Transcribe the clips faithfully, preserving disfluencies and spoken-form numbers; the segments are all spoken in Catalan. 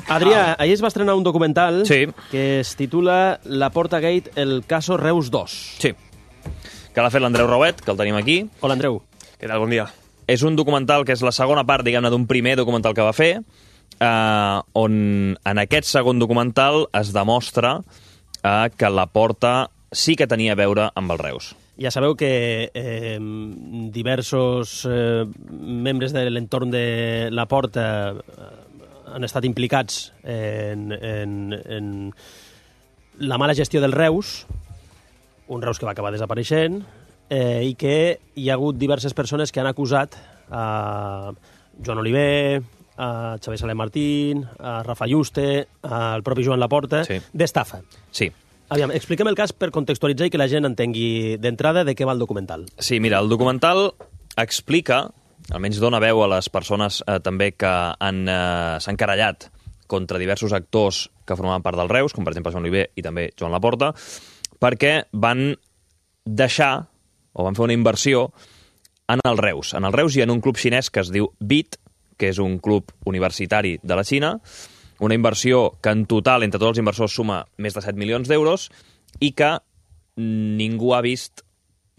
Adrià, ahir es va estrenar un documental Sí. que es titula Laporta Gate, el caso Reus dos. Sí. Que l'ha fet l'Andreu Rauet, que el tenim aquí. Hola, Andreu. Què tal? Bon dia. És un documental que és la segona part, diguem-ne, d'un primer documental que va fer, eh, on en aquest segon documental es demostra eh, que Laporta sí que tenia a veure amb el Reus. Ja sabeu que eh, diversos eh, membres de l'entorn de Laporta eh, han estat implicats en, en, en la mala gestió del Reus, un Reus que va acabar desapareixent, eh, i que hi ha hagut diverses persones que han acusat a Joan Oliver, a Xavier Salem Martín, a Rafa Yuste, al propi Joan Laporta, Sí. d'estafa. Sí. Aviam, expliquem el cas per contextualitzar i que la gent entengui d'entrada de què va el documental. Sí, mira, el documental explica, almenys dona veu a les persones eh, també que han, eh, s'han querellat contra diversos actors que formaven part del Reus, com per exemple Joan Oliver i també Joan Laporta, perquè van deixar, o van fer una inversió en el Reus. En el Reus hi ha un club xinès que es diu B I T, que és un club universitari de la Xina, una inversió que en total, entre tots els inversors, suma més de set milions d'euros i que ningú ha vist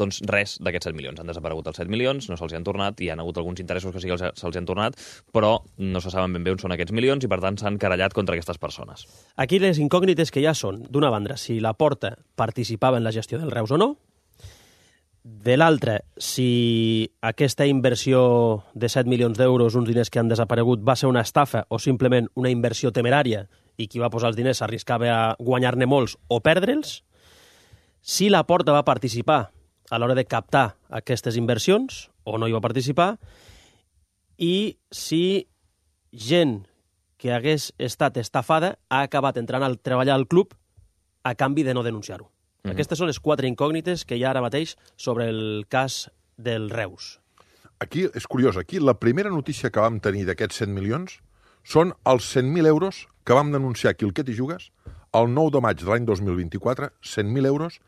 doncs, res d'aquests set milions. Han desaparegut els set milions, no se'ls han tornat, i hi ha hagut alguns interessos que sí que se'ls han tornat, però no se saben ben bé on són aquests milions i, per tant, s'han querellat contra aquestes persones. Aquí les incògnites que hi ha són, d'una banda, si Laporta participava en la gestió del Reus o no, de l'altra, si aquesta inversió de set milions d'euros, uns diners que han desaparegut, va ser una estafa o simplement una inversió temerària i qui va posar els diners s'arriscava a guanyar-ne molts o perdre'ls, si Laporta va participar a l'hora de captar aquestes inversions o no hi va participar, i si gent que hagués estat estafada ha acabat entrant a treballar al club a canvi de no denunciar-ho. Mm-hmm. Aquestes són les quatre incògnites que hi ha ara mateix sobre el cas del Reus. Aquí és curiós, aquí la primera notícia que vam tenir d'aquests cent milions són els cent mil euros que vam denunciar aquí al Què t'hi jugues el nou de maig de l'any dos mil vint-i-quatre, cent mil euros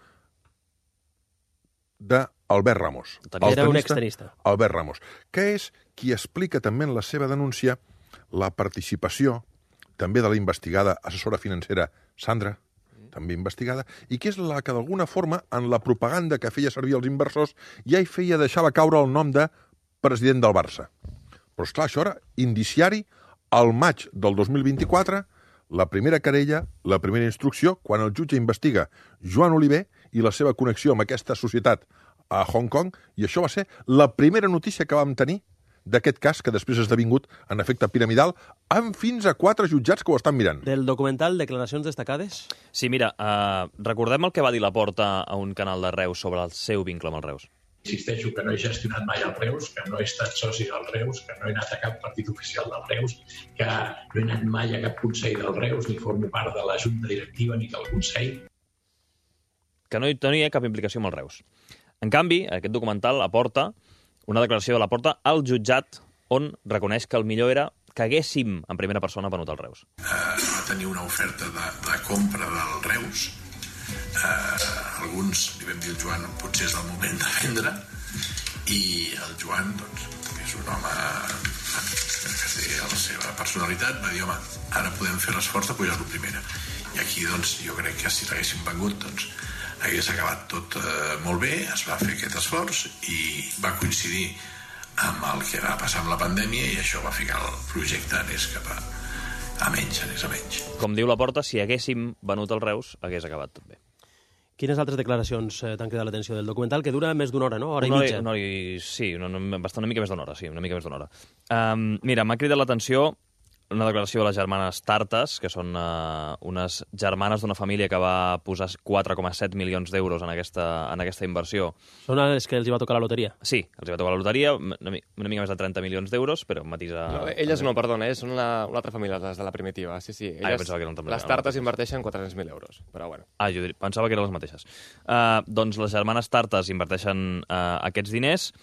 d'Albert Ramos. Era un extenista. Albert Ramos, que és qui explica també en la seva denúncia la participació també de la investigada assessora financera Sandra, també investigada, i que és la que d'alguna forma en la propaganda que feia servir els inversors ja hi feia deixava caure el nom de president del Barça. Però esclar, això era indiciari al maig del dos mil vint-i-quatre, la primera querella, la primera instrucció, quan el jutge investiga Joan Oliver i la seva connexió amb aquesta societat a Hong Kong, i això va ser la primera notícia que vam tenir d'aquest cas, que després ha esdevingut en efecte piramidal, amb fins a quatre jutjats que ho estan mirant. Del documental Declaracions destacades? Sí, mira, eh, recordem el que va dir Laporta a un canal de Reus sobre el seu vincle amb el Reus. Insisteixo que no he gestionat mai el Reus, que no he estat soci del Reus, que no he anat a cap partit oficial del Reus, que no he anat mai a cap consell del Reus, ni formo part de la junta directiva ni del consell. Que no hi tenia cap implicació amb el Reus. En canvi, aquest documental aporta una declaració de Laporta al jutjat on reconeix que el millor era que haguéssim en primera persona venut el Reus. Uh, va tenir una oferta de, de compra del Reus. Uh, alguns li vam dir al Joan potser és el moment de vendre, i el Joan, doncs, que és un home que té la seva personalitat, va dir, home, ara podem fer l'esforç de pujar-lo primera. I aquí, doncs, jo crec que si l'haguéssim vengut, doncs, hagués acabat tot eh, molt bé, es va fer aquest esforç i va coincidir amb el que va passar amb la pandèmia, i això va ficar el projecte anés cap a, a menys, anés a menys. Com diu Laporta, si haguéssim venut el Reus, hagués acabat tot bé. Quines altres declaracions eh, t'han cridat l'atenció del documental, que dura més d'una hora, no? Hora una i mitja. Una hora i... Sí, una, una, bastant una mica més d'una hora, sí, una mica més d'una hora. Um, mira, m'ha cridat l'atenció una declaració de les germanes Tartes, que són uh, unes germanes d'una família que va posar quatre coma set milions d'euros en aquesta, en aquesta inversió. Són les que els hi va tocar la loteria? Sí, els hi va tocar la loteria, una, una mica més de trenta milions d'euros, però matisa... No, elles no, perdona, eh? Són una, una altra família, les de la primitiva. Sí, sí, elles, ah, pensava que eren també, les Tartes inverteixen quatre-cents mil euros, però bueno. Ah, jo pensava que eren les mateixes. Uh, doncs les germanes Tartes inverteixen uh, aquests diners,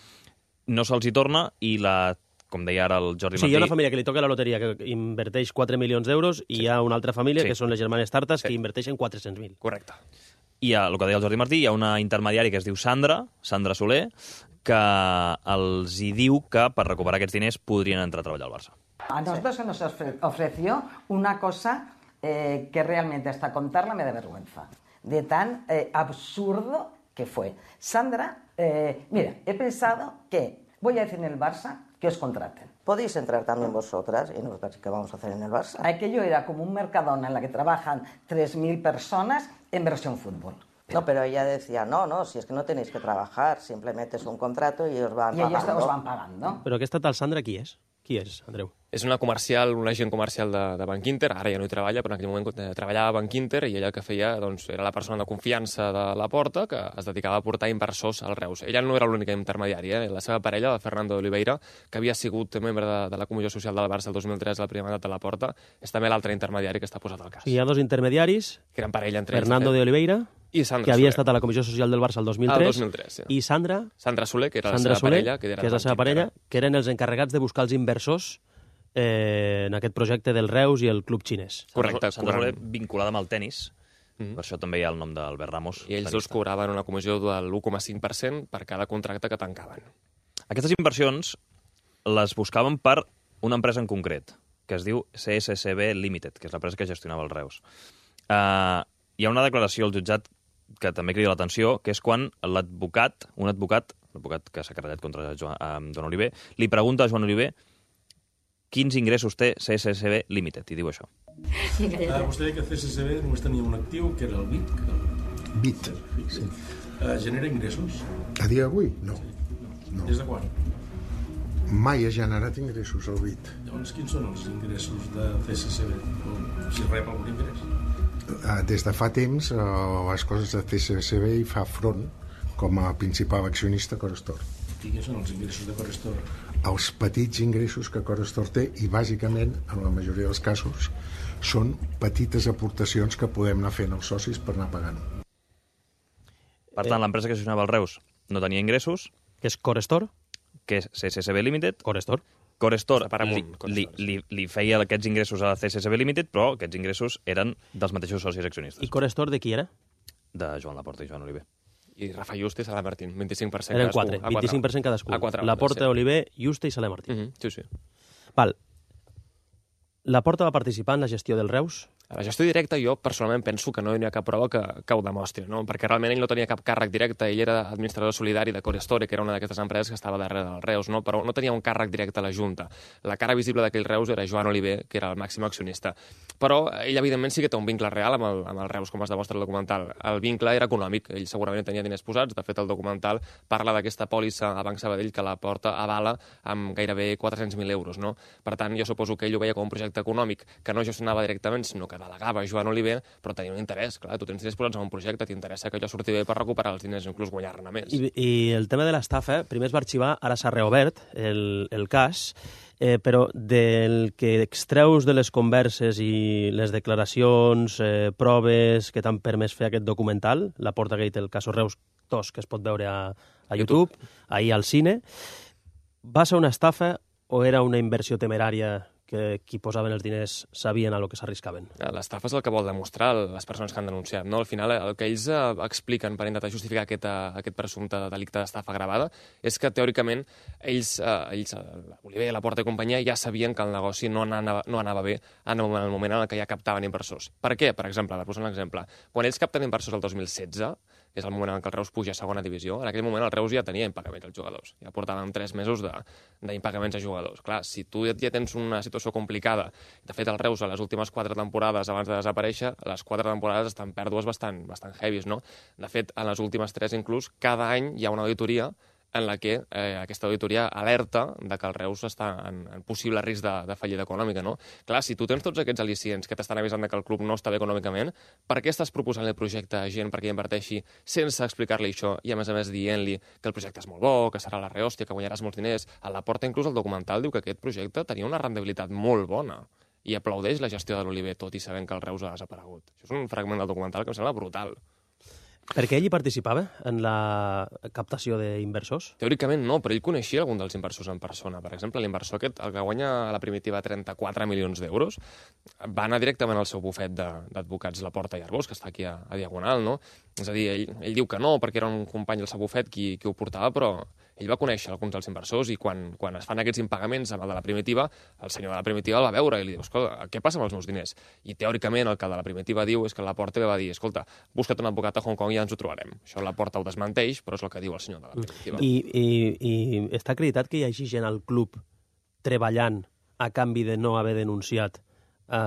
no se'ls hi torna, i la... com deia ara el Jordi Martí... Sí, hi ha una família que li toca la loteria que inverteix quatre milions d'euros, i sí. Hi ha una altra família, sí. Que són les germanes Tartes, sí. Que inverteixen quatre-cents mil. Correcte. I hi ha, el que deia el Jordi Martí, hi ha una intermediària que es diu Sandra, Sandra Soler, que els hi diu que per recuperar aquests diners podrien entrar a treballar al Barça. A nosotros se nos ofreció una cosa eh, que realmente hasta contarla me da vergüenza, de tan eh, absurdo que fue. Sandra, eh, mira, he pensado que voy a decir en el Barça que os contraten. Podéis entrar también vosotras y nosotras qué vamos a hacer en el Barça. Aquello era como un Mercadona en la que trabajan tres mil personas en versión fútbol. Pero... No, pero ella decía, no, no, si es que no tenéis que trabajar, simplemente es un contrato y os van y pagando. I ells us van pagando. Però aquesta tal Sandra qui és? Qui és, Andreu? És una comercial, un agent comercial de, de Banc Inter, ara ja no hi treballa, però en aquell moment eh, treballava a Banc Inter i ella el que feia doncs, era la persona de confiança de la Porta que es dedicava a portar inversors al Reus. Ella no era l'única intermediària, eh? La seva parella, la Fernando Oliveira, que havia sigut membre de, de la Comissió Social del Barça el dos mil tres, al primer mandat de la Porta, és també l'altre intermediari que està posat al cas. Hi ha dos intermediaris, que eren parella entre Fernando ells, de Oliveira, i Sandra que havia Soler. estat a la Comissió Social del Barça el dos mil tres, Ah, el dos mil tres, sí. i Sandra, Sandra Soler, que era Sandra la seva Soler, parella, que, era que és la seva parella, que eren els encarregats de buscar els inversors eh, en aquest projecte del Reus i el club xinès. Correcte, Sandra Soler correcte. vinculada amb el tennis, Mhm. per això també hi ha el nom d'Albert Ramos. I ells dos cobraven una comissió del u coma cinc per cent per cada contracte que tancaven. Aquestes inversions les buscaven per una empresa en concret, que es diu C S C B Limited, que és l'empresa que gestionava el Reus. Uh, hi ha una declaració al jutjat que també crida l'atenció, que és quan l'advocat, un advocat, l'advocat que s'ha querellat contra Joan, eh, Joan Oliver, li pregunta a Joan Oliver quins ingressos té C S C B Limited, i diu això. Uh, vostè deia que C S C B només tenia un actiu, que era el B I T. Que era el... B I T, sí. Uh, genera ingressos? A dia d'avui, no. no. Des de quan? Mai ha generat ingressos el B I T. Llavors, quins són els ingressos de C S C B? O si rep algun ingrés? Uh, des de fa temps, uh, les coses de C S C B hi fa front com a principal accionista Corestor. I quins són els ingressos de Corestor? Els petits ingressos que Corestor té, i bàsicament, en la majoria dels casos, són petites aportacions que podem anar fent els socis per anar pagant. Per tant, l'empresa que gestionava el Reus no tenia ingressos, Que és Corestor? que és C S C B Limited. Corestor. Corestor Està per li, amunt, li, Corestor, li, li feia aquests ingressos a la C S C B Limited, però aquests ingressos eren dels mateixos socis accionistes, I Corestor de qui era? de Joan Laporta i Joan Oliver. I Rafa Juste i Sala Martín, vint-i-cinc per cent Eren cadascú. quatre, A vint-i-cinc per cent cadascú. A quatre Laporta, sí. Oliver, Juste i Saler Martí. Mhm, sí, sí. Val. Laporta va participar en la gestió del Reus? A la gestió directa jo personalment penso que no hi ha cap prova que, que ho demostri, no? Perquè realment ell no tenia cap càrrec directe, ell era administrador solidari de Corestore, que era una d'aquestes empreses que estava darrere del Reus, no? Però no tenia un càrrec directe a la Junta. La cara visible d'aquell Reus era Joan Oliver, que era el màxim accionista. Però ell, evidentment, sí que té un vincle real amb el, amb el Reus, com es demostra el documental. El vincle era econòmic, ell segurament tenia diners posats, de fet el documental parla d'aquesta pòlissa a Banc Sabadell que la Porta avala amb gairebé quatre-cents mil euros, no? Per tant, jo suposo que ell ho veia com un projecte econòmic que no gestionava directament, sinó que delegava Joan Oliver, però tenia un interès, clar, tu tens diners posats en un projecte, t'interessa que allò surti bé per recuperar els diners, inclús guanyar-ne més. I, I el tema de l'estafa, primer es va arxivar, ara s'ha reobert el, el cas, eh, però del que extreus de les converses i les declaracions, eh, proves que t'han permès fer aquest documental, la Portagate, el Caso Reus dos, que es pot veure a, a YouTube, YouTube, ahir al cine, va ser una estafa o era una inversió temerària que qui posaven els diners sabien a lo que s'arriscaven? L'estafa és el que vol demostrar les persones que han denunciat, no? Al final, el que ells eh, expliquen per intentar justificar aquest, eh, aquest presumpte delicte d'estafa gravada és que, teòricament, ells, eh, ells Oliver, Laporta i companyia, ja sabien que el negoci no anava, no anava bé en el, en el moment en què ja captaven inversors. Per què? Per exemple, per posar un exemple, quan ells capten inversors el dos mil setze, que és el moment en què el Reus puja a segona divisió, en aquell moment el Reus ja tenia impagaments als jugadors. Ja portàvem tres mesos d'impagaments a jugadors. Clar, si tu ja tens una situació complicada, de fet el Reus a les últimes quatre temporades abans de desaparèixer, les quatre temporades estan pèrdues bastant, bastant heavies, no? De fet, en les últimes tres inclús, cada any hi ha una auditoria en la que eh, aquesta auditoria alerta de que el Reus està en, en possible risc de, de fallida econòmica, no? Clar, si tu tens tots aquests al·licients que t'estan avisant de que el club no està bé econòmicament, per què estàs proposant el projecte a gent perquè inverteixi sense explicar-li això i, a més a més, dient-li que el projecte és molt bo, que serà la rehòstia, que guanyaràs molts diners? A la Porta, inclús, el documental diu que aquest projecte tenia una rendibilitat molt bona i aplaudeix la gestió de l'Oliver, tot i sabent que el Reus ha desaparegut. Això és un fragment del documental que em sembla brutal. Perquè ell hi participava en la captació d'inversors? Teòricament no, però ell coneixia algun dels inversors en persona. Per exemple, l'inversor aquest, el que guanya a la primitiva trenta-quatre milions d'euros, va anar directament al seu bufet d'advocats La Porta i Arbós, que està aquí a, a Diagonal, no? És a dir, ell, ell diu que no, perquè era un company del seu bufet qui, qui ho portava, però ell va conèixer alguns dels inversors i quan, quan es fan aquests impagaments amb el de la Primitiva, el senyor de la Primitiva el va veure i li diu, escolta, què passa amb els meus diners? I teòricament el que de la Primitiva diu és que Laporta va dir, escolta, busca't un advocat a Hong Kong i ja ens ho trobarem. Això Laporta ho desmenteix, però és el que diu el senyor de la Primitiva. I, i, i està acreditat que hi hagi gent al club treballant a canvi de no haver denunciat a,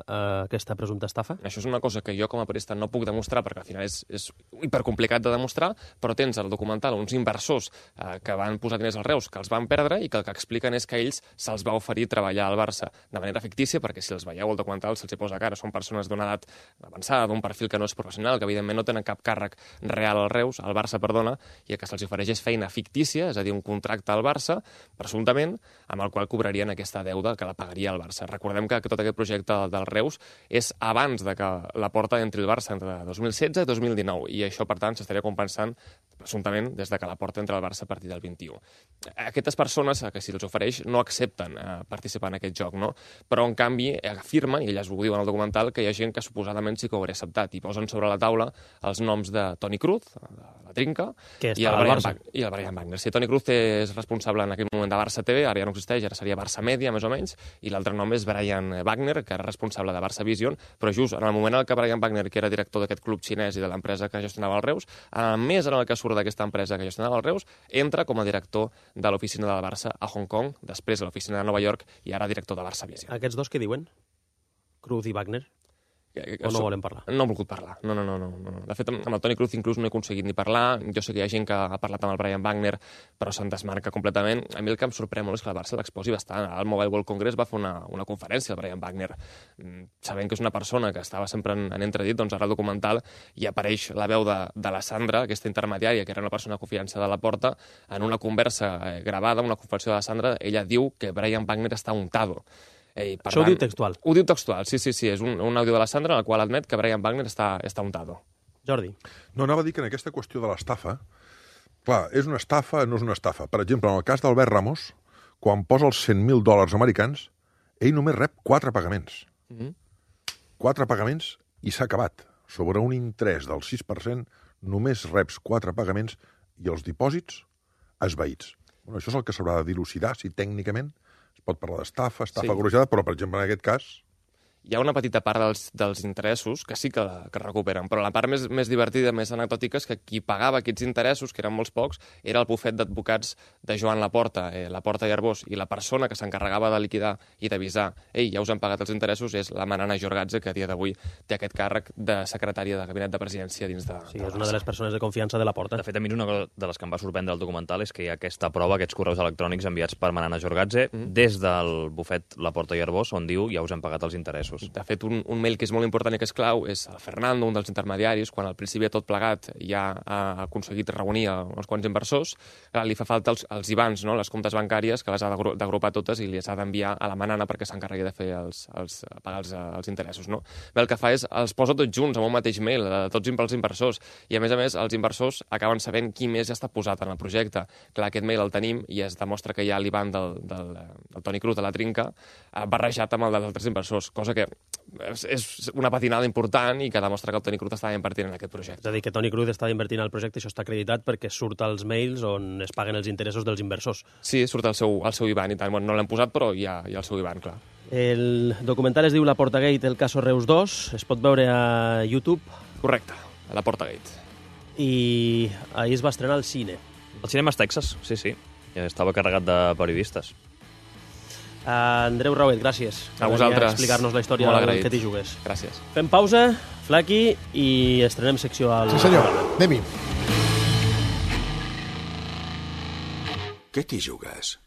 a aquesta presumpta estafa? Això és una cosa que jo com a periodista no puc demostrar perquè al final és, és hipercomplicat de demostrar, però tens al documental uns inversors eh, que van posar diners als Reus, que els van perdre i que el que expliquen és que a ells se'ls va oferir treballar al Barça de manera fictícia, perquè si els veieu al documental se'ls hi posa cara, són persones d'una edat avançada, d'un perfil que no és professional, que evidentment no tenen cap càrrec real al Reus, al Barça, perdona, i que se'ls ofereix és feina fictícia, és a dir, un contracte al Barça, presumptament, amb el qual cobrarien aquesta deuda que la pagaria al Barça. Recordem que tot aquest projecte del Reus és abans de que Laporta entri al Barça entre dos mil setze i dos mil dinou i això, per tant, s'estaria compensant presumptament des de que Laporta entra al Barça a partir del vint-i-u. Aquestes persones, que si els ofereix, no accepten eh, participar en aquest joc, no? Però, en canvi, afirmen, i elles ho diuen al documental, que hi ha gent que suposadament sí que ho hauria acceptat i posen sobre la taula els noms de Toni Cruz, de la Trinca, i el, Brian Wagner, i el Brian Wagner. Si Toni Cruz és responsable en aquell moment de Barça T V, ara ja no existeix, ara seria Barça Media, més o menys, i l'altre nom és Brian Wagner, que era responsable de Barça Vision, però just en el moment en què Brian Wagner, que era director d'aquest club xinès i de l'empresa que gestionava el Reus, a més en el que surt d'aquesta empresa que gestionava el Reus, entra com a director de l'oficina del Barça a Hong Kong, després a l'oficina de Nova York i ara director de Barça Vision. Aquests dos què diuen? Cruz i Wagner? O no volen parlar? No han volgut parlar. No, no, no, no, no. De fet, amb el Toni Cruz inclús no he aconseguit ni parlar. Jo sé que hi ha gent que ha parlat amb el Brian Wagner, però se'n desmarca completament. A mi el que em sorprèn molt és que el Barça l'exposi bastant. Al Mobile World Congress va fer una, una conferència, el Brian Wagner, sabent que és una persona que estava sempre en, en entredit, doncs ara el documental hi apareix la veu de, de la Sandra, aquesta intermediària, que era una persona de confiança de Laporta, en una conversa eh, gravada, una confessió de la Sandra, ella diu que Brian Wagner està untado. Ei, Això tant, ho diu textual? Ho diu textual, sí, sí, sí. És un, un àudio de la Sandra en el qual admet que Brian Wagner està, està untado. Jordi. No, anava a dir que en aquesta qüestió de l'estafa, clar, és una estafa, no és una estafa. Per exemple, en el cas d'Albert Ramos, quan posa els cent mil dòlars americans, ell només rep quatre pagaments. Mm-hmm. Quatre pagaments i s'ha acabat. Sobre un interès del sis per cent, només reps quatre pagaments i els dipòsits esvaïts. Bueno, això és el que s'haurà de dilucidar, si tècnicament es pot parlar d'estafa, estafa sí. Agorejada, però, per exemple, en aquest cas... Hi ha una petita part dels, dels interessos que sí que, que recuperen, però la part més, més divertida, més anecdòtica, és que qui pagava aquests interessos, que eren molts pocs, era el bufet d'advocats de Joan Laporta, eh, Laporta i Arbós, i la persona que s'encarregava de liquidar i d'avisar, ei, ja us han pagat els interessos, és la Manana Jorgatze, que a dia d'avui té aquest càrrec de secretària de gabinet de presidència dins de... Sí, de és una de les persones de confiança de Laporta. De fet, a mi una cosa de les que em va sorprendre del documental és que hi ha aquesta prova, aquests correus electrònics enviats per Manana Jorgatze mm. des del bufet Laporta i Arbós, on diu ja us han pagat els interessos. De fet, un, un mail que és molt important i que és clau és el Fernando, un dels intermediaris, quan al principi de tot plegat ja ha aconseguit reunir uns quants inversors, clar, li fa falta els, els I B A Ns, no? Les comptes bancàries, que les ha d'agrupar totes i les ha d'enviar a la Manana perquè s'encarregui de fer els, els, pagar els, els interessos. No? Bé, el que fa és els posa tots junts en un mateix mail, a tots els inversors, i a més a més els inversors acaben sabent qui més ja està posat en el projecte. Clar, aquest mail el tenim i es demostra que hi ha l'I B A N del, del, del Toni Cruz de la Trinca barrejat amb el dels altres inversors, cosa que és una patinada important i que demostra que el Toni Cruz estava invertint en aquest projecte. És a dir, que Toni Cruz estava invertint en el projecte, això està acreditat perquè surt als mails on es paguen els interessos dels inversors. Sí, surt el seu, el seu I B A N i tant. Bueno, no l'hem posat, però hi ha, hi ha el seu I B A N, clar. El documental es diu La Portagate, el caso Reus dos, es pot veure a YouTube. Correcte, a La Portagate. I ahir es va estrenar al cine. Al Cinemes Texas, sí, sí. Ja estava carregat de periodistes. Uh, Andreu Rauet, gràcies a vosaltres. Explicar-nos la història del que t'hi jugues. Gràcies. Fem pausa, Flaqui, i estrenem secció al... Sí, senyor. Anem-hi. Què t'hi jugues?